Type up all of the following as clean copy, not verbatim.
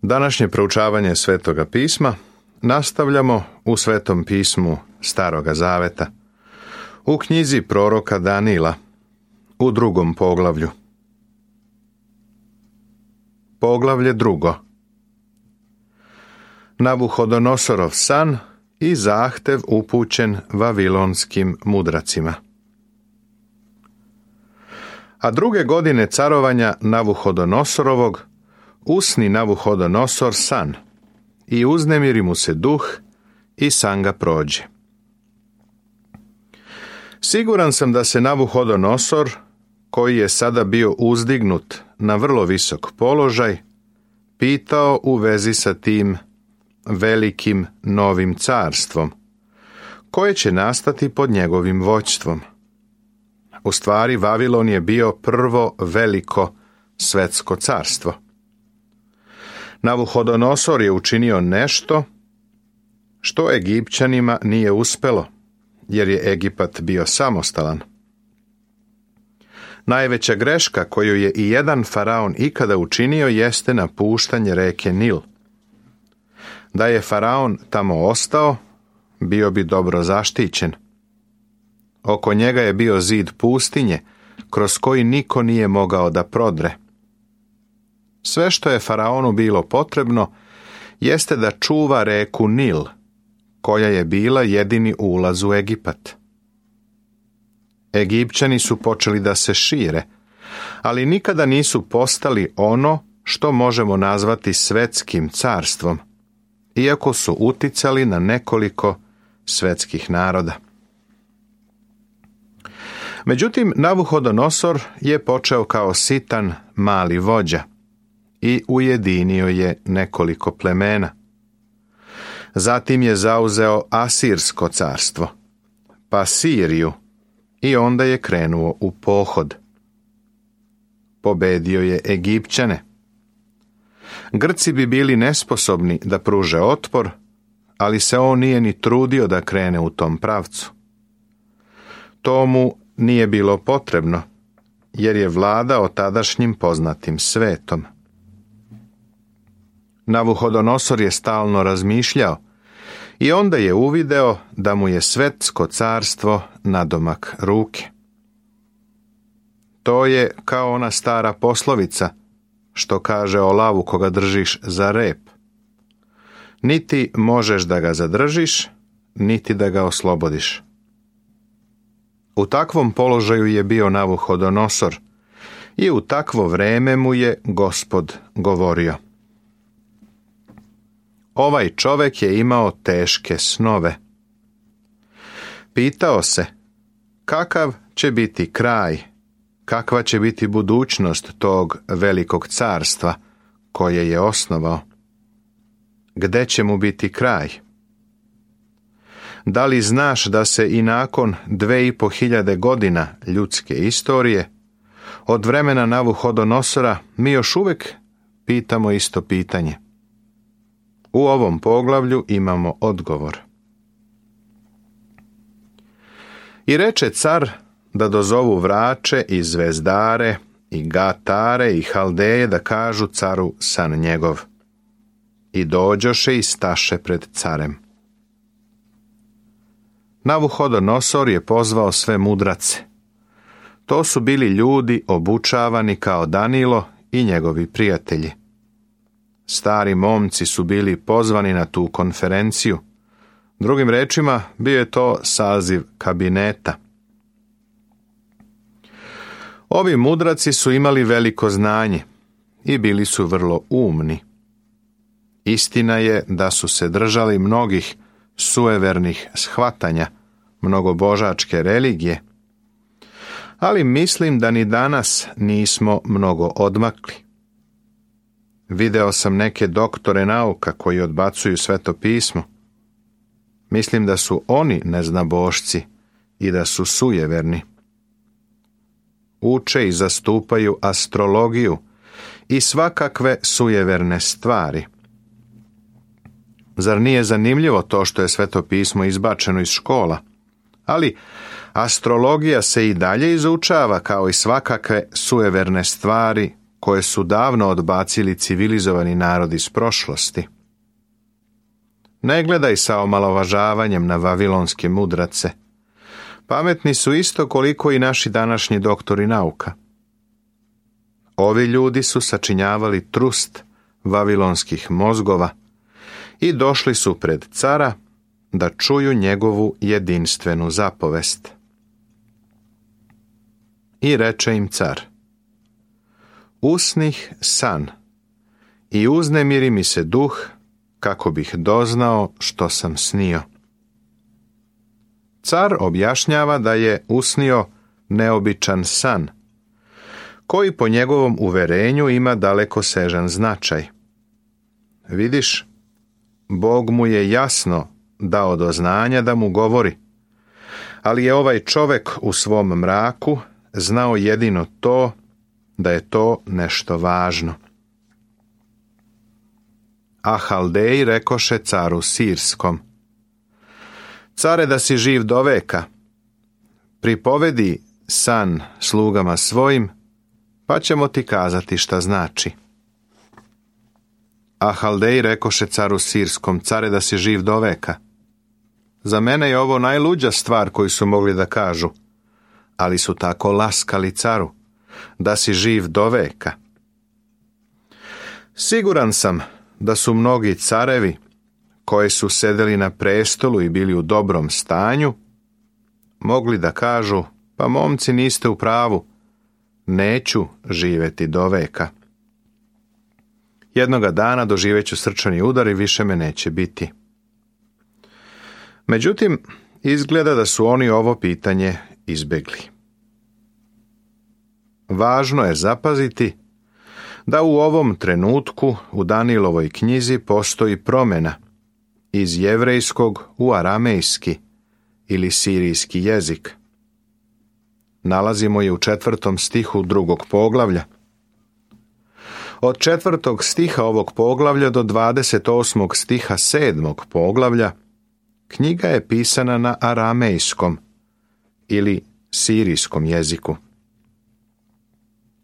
Današnje proučavanje Svetoga pisma nastavljamo u Svetom pismu Staroga Zaveta, u knjizi proroka Danila, u 2. poglavlju. Poglavlje 2. Navuhodonosorov san i zahtev upućen vavilonskim mudracima. A 2. godine carovanja Navuhodonosorovog usni Navuhodonosor san i uznemiri mu se duh i san ga prođe. Siguran sam da se Navuhodonosor, koji je sada bio uzdignut na vrlo visok položaj, pitao u vezi sa tim velikim novim carstvom, koje će nastati pod njegovim vođstvom. U stvari, Vavilon je bio prvo veliko svetsko carstvo. Navuhodonosor je učinio nešto što Egipćanima nije uspelo, jer je Egipat bio samostalan. Najveća greška koju je i jedan faraon ikada učinio jeste napuštanje reke Nil. Da je faraon tamo ostao, bio bi dobro zaštićen. Oko njega je bio zid pustinje, kroz koji niko nije mogao da prodre. Sve što je faraonu bilo potrebno jeste da čuva reku Nil, koja je bila jedini ulaz u Egipat. Egipćani su počeli da se šire, ali nikada nisu postali ono što možemo nazvati svetskim carstvom, iako su uticali na nekoliko svetskih naroda. Međutim, Navuhodonosor je počeo kao sitan mali vođa i ujedinio je nekoliko plemena. Zatim je zauzeo Asirsko carstvo, pa Siriju, i onda je krenuo u pohod. Pobedio je Egipćane. Grci bi bili nesposobni da pruže otpor, ali se on nije ni trudio da krene u tom pravcu. To mu nije bilo potrebno, jer je vladao tadašnjim poznatim svetom. Navuhodonosor je stalno razmišljao i onda je uvideo da mu je svetsko carstvo nadomak ruke. To je kao ona stara poslovica što kaže o lavu koga držiš za rep. Niti možeš da ga zadržiš, niti da ga oslobodiš. U takvom položaju je bio Navuhodonosor i u takvo vreme mu je Gospod govorio. Ovaj čovjek je imao teške snove. Pitao se, kakav će biti kraj, kakva će biti budućnost tog velikog carstva koje je osnovao? Gde će mu biti kraj? Da li znaš da se i nakon 2500 godina ljudske istorije, od vremena Navuhodonosora, mi još uvijek pitamo isto pitanje? U ovom poglavlju imamo odgovor. I reče car da dozovu vrače i zvezdare i gatare i haldeje da kažu caru san njegov. I dođoše i staše pred carem. Navuhodonosor je pozvao sve mudrace. To su bili ljudi obučavani kao Danilo i njegovi prijatelji. Stari momci su bili pozvani na tu konferenciju. Drugim rečima, bio je to saziv kabineta. Ovi mudraci su imali veliko znanje i bili su vrlo umni. Istina je da su se držali mnogih suevernih shvatanja, mnogobožačke religije, ali mislim da ni danas nismo mnogo odmakli. Video sam neke doktore nauka koji odbacuju Sveto pismo. Mislim da su oni neznabošci i da su sujeverni. Uče i zastupaju astrologiju i svakakve sujeverne stvari. Zar nije zanimljivo to što je Sveto pismo izbačeno iz škola? Ali astrologija se i dalje izučava kao i svakakve sujeverne stvari koje su davno odbacili civilizovani narodi iz prošlosti. Ne gledaj sa omalovažavanjem na vavilonske mudrace. Pametni su isto koliko i naši današnji doktori nauka. Ovi ljudi su sačinjavali trust vavilonskih mozgova i došli su pred cara da čuju njegovu jedinstvenu zapovest. I reče im car: usnih san i uznemiri mi se duh, kako bih doznao što sam snio. Car objašnjava da je usnio neobičan san, koji po njegovom uverenju ima dalekosežan značaj. Vidiš, Bog mu je jasno dao do znanja da mu govori, ali je ovaj čovek u svom mraku znao jedino to, da je to nešto važno. A Haldeji rekoše caru Sirskom: care, da si živ do veka, pripovedi san slugama svojim, pa ćemo ti kazati šta znači. A Haldeji rekoše caru Sirskom: care, da si živ do veka. Za mene je ovo najluđa stvar koju su mogli da kažu, ali su tako laskali caru: da si živ do veka. Siguran sam da su mnogi carevi koji su sedeli na prestolu i bili u dobrom stanju mogli da kažu: pa momci, niste u pravu, neću živjeti do veka. Jednoga dana doživeću srčani udar i više me neće biti. Međutim, izgleda da su oni ovo pitanje izbegli. Važno je zapaziti da u ovom trenutku u Danijelovoj knjizi postoji promjena iz jevrejskog u aramejski ili sirijski jezik. Nalazimo je u 4. stihu 2. poglavlja. Od 4. stiha ovog poglavlja do 28. stiha 7. poglavlja knjiga je pisana na aramejskom ili sirijskom jeziku.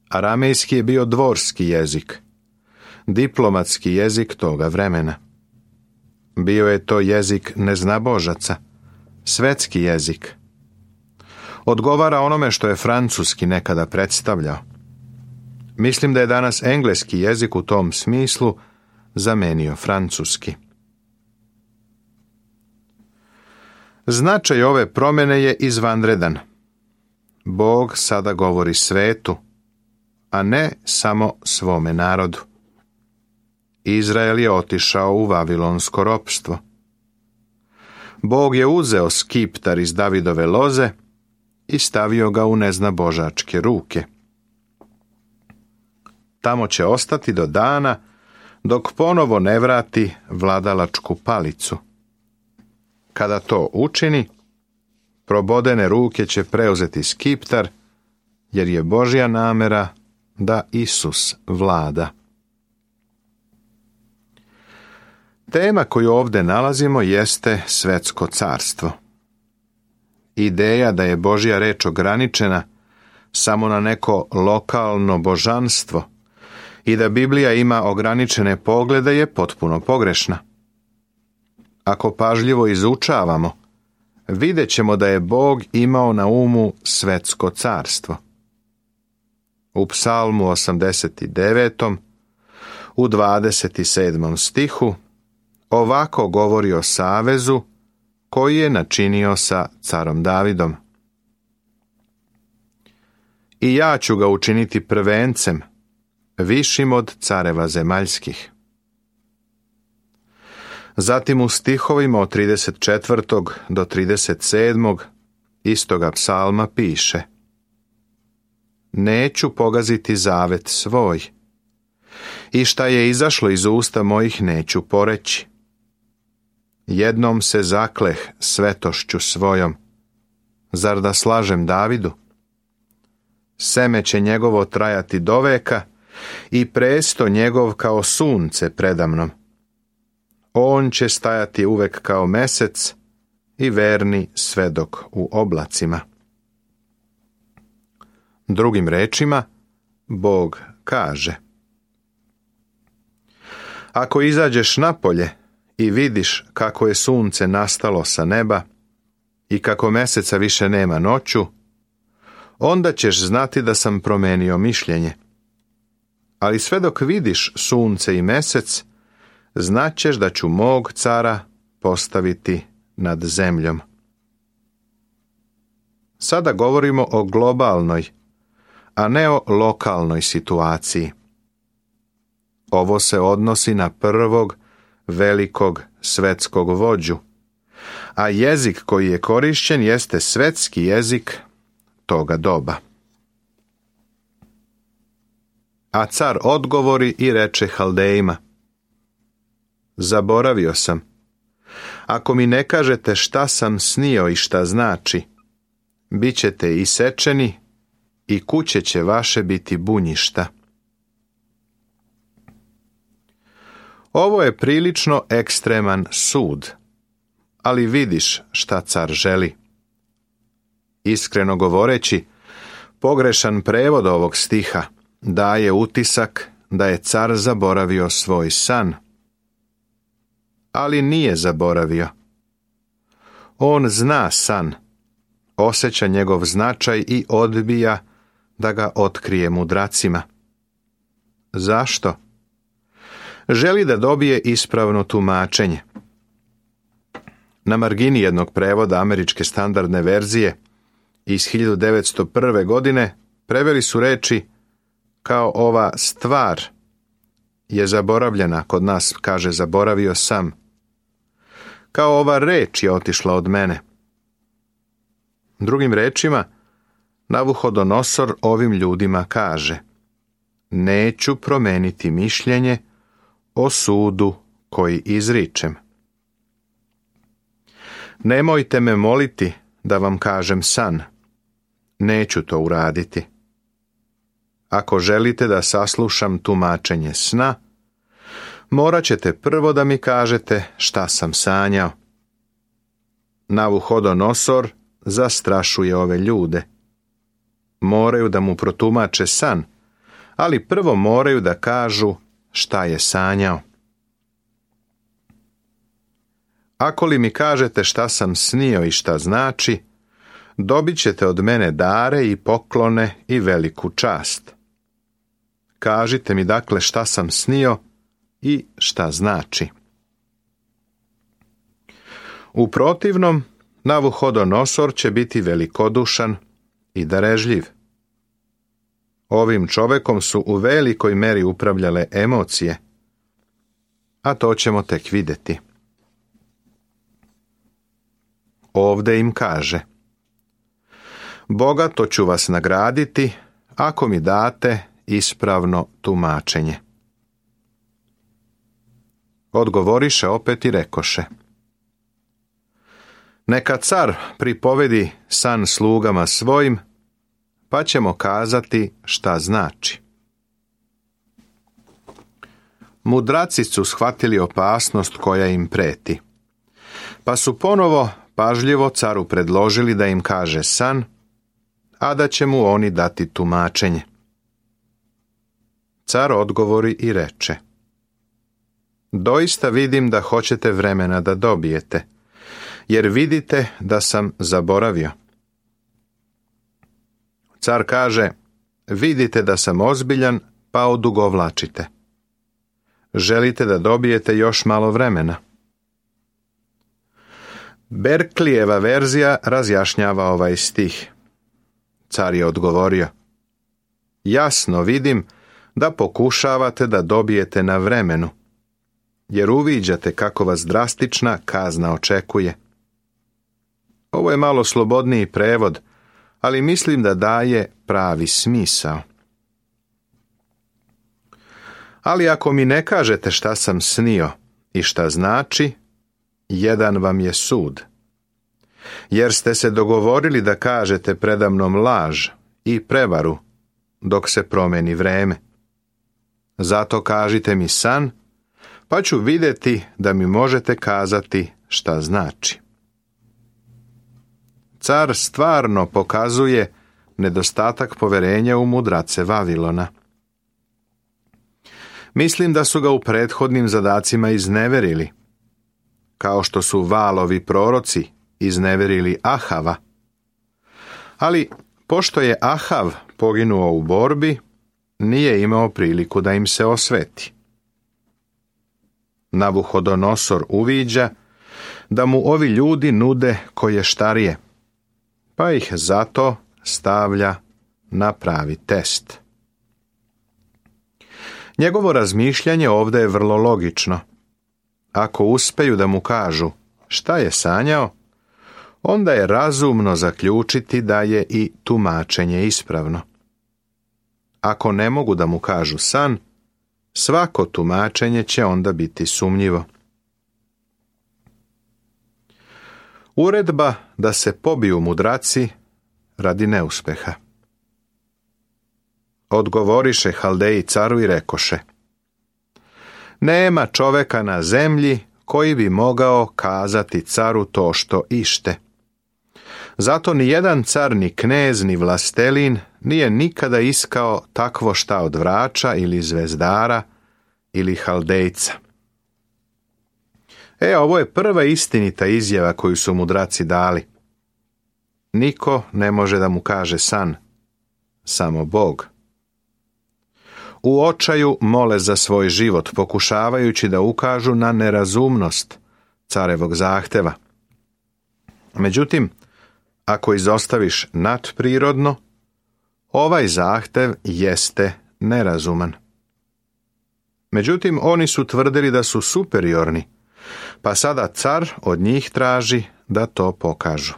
Aramejski je bio dvorski jezik, diplomatski jezik toga vremena. Bio je to jezik neznabožaca, svetski jezik. Odgovara onome što je francuski nekada predstavljao. Mislim da je danas engleski jezik u tom smislu zamenio francuski. Značaj ove promjene je izvanredan. Bog sada govori svetu, a ne samo svome narodu. Izrael je otišao u vavilonsko ropstvo. Bog je uzeo skiptar iz Davidove loze i stavio ga u neznabožačke ruke. Tamo će ostati do dana dok ponovo ne vrati vladalačku palicu. Kada to učini, probodene ruke će preuzeti skiptar, jer je Božja namera da Isus vlada. Tema koju ovdje nalazimo jeste svetsko carstvo. Ideja da je Božja reč ograničena samo na neko lokalno božanstvo i da Biblija ima ograničene poglede je potpuno pogrešna. Ako pažljivo izučavamo, vidjet ćemo da je Bog imao na umu svetsko carstvo. U Psalmu 89. u 27. stihu ovako govori o savezu koji je načinio sa carom Davidom. I ja ću ga učiniti prvencem, višim od careva zemaljskih. Zatim u stihovima od 34. do 37. istoga psalma piše: neću pogaziti zavet svoj, i šta je izašlo iz usta mojih neću poreći. Jednom se zakleh svetošću svojom, zar da slažem Davidu? Seme će njegovo trajati do veka i presto njegov kao sunce predamnom. On će stajati uvek kao mesec i verni svedok u oblacima. Drugim rečima, Bog kaže: Ako izađeš napolje i vidiš kako je sunce nastalo sa neba i kako meseca više nema noću, onda ćeš znati da sam promenio mišljenje. Ali sve dok vidiš sunce i mesec, znaćeš da ću mog cara postaviti nad zemljom. Sada govorimo o globalnoj, a ne o lokalnoj situaciji. Ovo se odnosi na prvog velikog svetskog vođu, a jezik koji je korišćen jeste svetski jezik toga doba. A car odgovori i reče Haldejima: Zaboravio sam. Ako mi ne kažete šta sam snio i šta znači, bit ćete isečeni i kuće će vaše biti bunjišta. Ovo je prilično ekstreman sud, ali vidiš šta car želi. Iskreno govoreći, pogrešan prevod ovog stiha daje utisak da je car zaboravio svoj san. Ali nije zaboravio. On zna san, osjeća njegov značaj i odbija da ga otkrije mudracima. Zašto? Želi da dobije ispravno tumačenje. Na margini jednog prevoda američke standardne verzije iz 1901. godine preveli su reči: kao ova stvar je zaboravljena, kod nas kaže zaboravio sam. Kao ova reč je otišla od mene. Drugim rečima, Navuhodonosor ovim ljudima kaže: neću promeniti mišljenje o sudu koji izričem. Nemojte me moliti da vam kažem san. Neću to uraditi. Ako želite da saslušam tumačenje sna, morat ćete prvo da mi kažete šta sam sanjao. Navuhodonosor zastrašuje ove ljude. Moraju da mu protumače san, ali prvo moraju da kažu šta je sanjao. Ako li mi kažete šta sam snio i šta znači, dobit ćete od mene dare i poklone i veliku čast. Kažite mi dakle šta sam snio i šta znači. U protivnom, Navuhodonosor će biti velikodušan i darežljiv. Ovim čovekom su u velikoj meri upravljale emocije, a to ćemo tek vidjeti. Ovde im kaže: bogato ću vas nagraditi ako mi date ispravno tumačenje. Odgovoriše opet i rekoše: neka car pripovedi san slugama svojim, pa ćemo kazati šta znači. Mudraci su shvatili opasnost koja im preti, pa su ponovo pažljivo caru predložili da im kaže san, a da će mu oni dati tumačenje. Car odgovori i reče: doista vidim da hoćete vremena da dobijete, jer vidite da sam zaboravio. Car kaže: vidite da sam ozbiljan, pa odugovlačite. Želite da dobijete još malo vremena. Berklijeva verzija razjašnjava ovaj stih. Car je odgovorio: jasno vidim da pokušavate da dobijete na vremenu, jer uviđate kako vas drastična kazna očekuje. Ovo je malo slobodniji prevod, ali mislim da daje pravi smisao. Ali ako mi ne kažete šta sam snio i šta znači, jedan vam je sud. Jer ste se dogovorili da kažete predamnom laž i prevaru dok se promeni vreme. Zato kažite mi san, pa ću vidjeti da mi možete kazati šta znači. Car stvarno pokazuje nedostatak poverenja u mudrace Vavilona. Mislim da su ga u prethodnim zadacima izneverili, kao što su Valovi proroci izneverili Ahava. Ali, pošto je Ahav poginuo u borbi, nije imao priliku da im se osveti. Navuhodonosor uviđa da mu ovi ljudi nude koještarije, pa ih zato stavlja na pravi test. Njegovo razmišljanje ovdje je vrlo logično. Ako uspeju da mu kažu šta je sanjao, onda je razumno zaključiti da je i tumačenje ispravno. Ako ne mogu da mu kažu san, svako tumačenje će onda biti sumnjivo. Uredba da se pobiju mudraci radi neuspeha. Odgovoriše Haldeji caru i rekoše: nema čoveka na zemlji koji bi mogao kazati caru to što ište. Zato ni jedan car, ni knez, ni vlastelin nije nikada iskao takvo šta od vrača ili zvezdara ili Haldejca. Ovo je prva istinita izjava koju su mudraci dali. Niko ne može da mu kaže san, samo Bog. U očaju mole za svoj život, pokušavajući da ukažu na nerazumnost carevog zahteva. Međutim, ako izostaviš nadprirodno, ovaj zahtev jeste nerazuman. Međutim, oni su tvrdili da su superiorni, pa sada car od njih traži da to pokažu.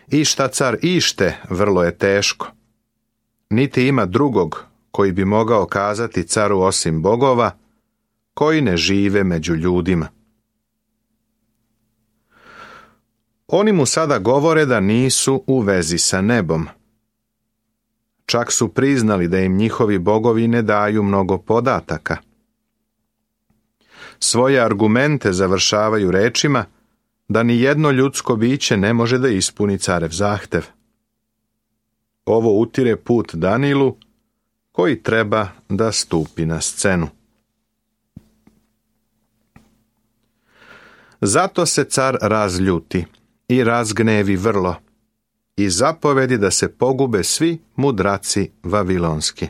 I šta car ište vrlo je teško. Niti ima drugog koji bi mogao kazati caru osim bogova, koji ne žive među ljudima. Oni mu sada govore da nisu u vezi sa nebom. Čak su priznali da im njihovi bogovi ne daju mnogo podataka. Svoje argumente završavaju rečima da ni jedno ljudsko biće ne može da ispuni carev zahtev. Ovo utire put Danilu, koji treba da stupi na scenu. Zato se car razljuti i razgnevi vrlo i zapovedi da se pogube svi mudraci vavilonski.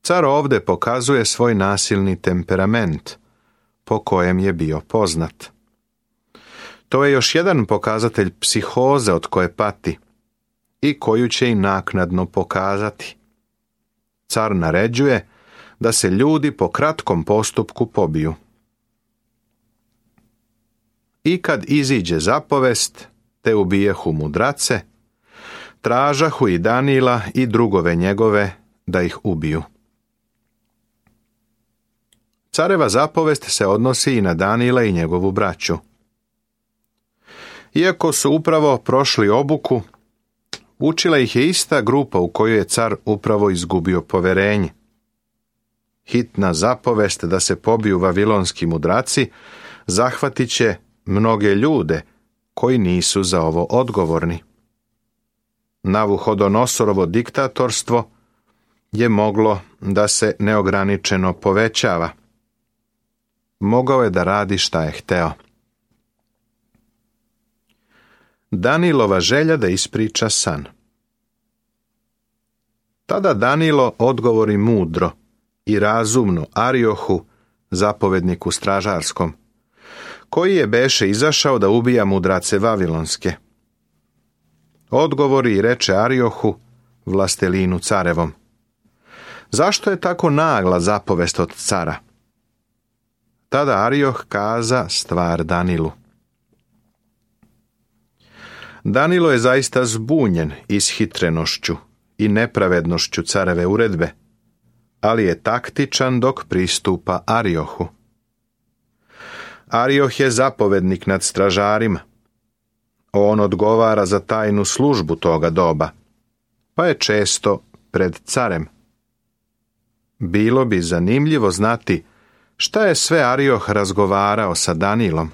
Car ovdje pokazuje svoj nasilni temperament, po kojem je bio poznat. To je još jedan pokazatelj psihoze od koje pati i koju će i naknadno pokazati. Car naređuje da se ljudi po kratkom postupku pobiju. I kad iziđe zapovest, te ubijehu mudrace, tražahu i Danila i drugove njegove da ih ubiju. Careva zapovest se odnosi i na Danila i njegovu braću. Iako su upravo prošli obuku, učila ih je ista grupa u kojoj je car upravo izgubio poverenje. Hitna zapovest da se pobiju vavilonski mudraci zahvatit će mnoge ljude koji nisu za ovo odgovorni. Navuhodonostorovo diktatorstvo je moglo da se neograničeno povećava. Mogao je da radi šta je hteo. Danilova želja da ispriča san. Tada Danilo odgovori mudro i razumno Ariohu, zapovedniku stražarskom, koji je beše izašao da ubija mudrace vavilonske. Odgovori i reče Ariohu, vlastelinu carevom: zašto je tako nagla zapovest od cara? Tada Arioh kaza stvar Danilu. Danilo je zaista zbunjen ishitrenošću i nepravednošću careve uredbe, ali je taktičan dok pristupa Ariohu. Arioh je zapovednik nad stražarima. On odgovara za tajnu službu toga doba, pa je često pred carem. Bilo bi zanimljivo znati šta je sve Arioh razgovarao sa Danilom.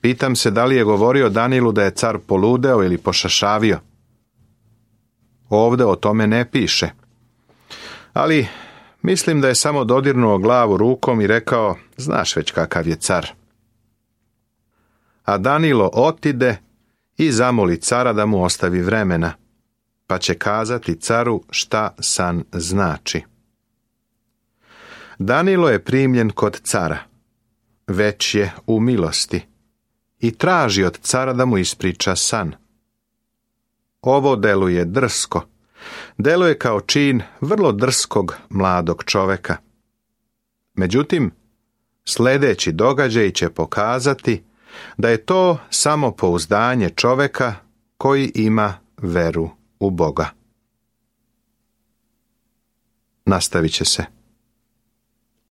Pitam se da li je govorio Danilu da je car poludeo ili pošašavio. Ovdje o tome ne piše, Ali mislim da je samo dodirnuo glavu rukom i rekao, znaš već kakav je car. A Danilo otide i zamoli cara da mu ostavi vremena, pa će kazati caru šta san znači. Danilo je primljen kod cara, već je u milosti i traži od cara da mu ispriča san. Ovo deluje drsko, deluje kao čin vrlo drskog mladog čoveka. Međutim, sljedeći događaj će pokazati da je to samo pouzdanje čoveka koji ima veru u Boga. Nastavit će se.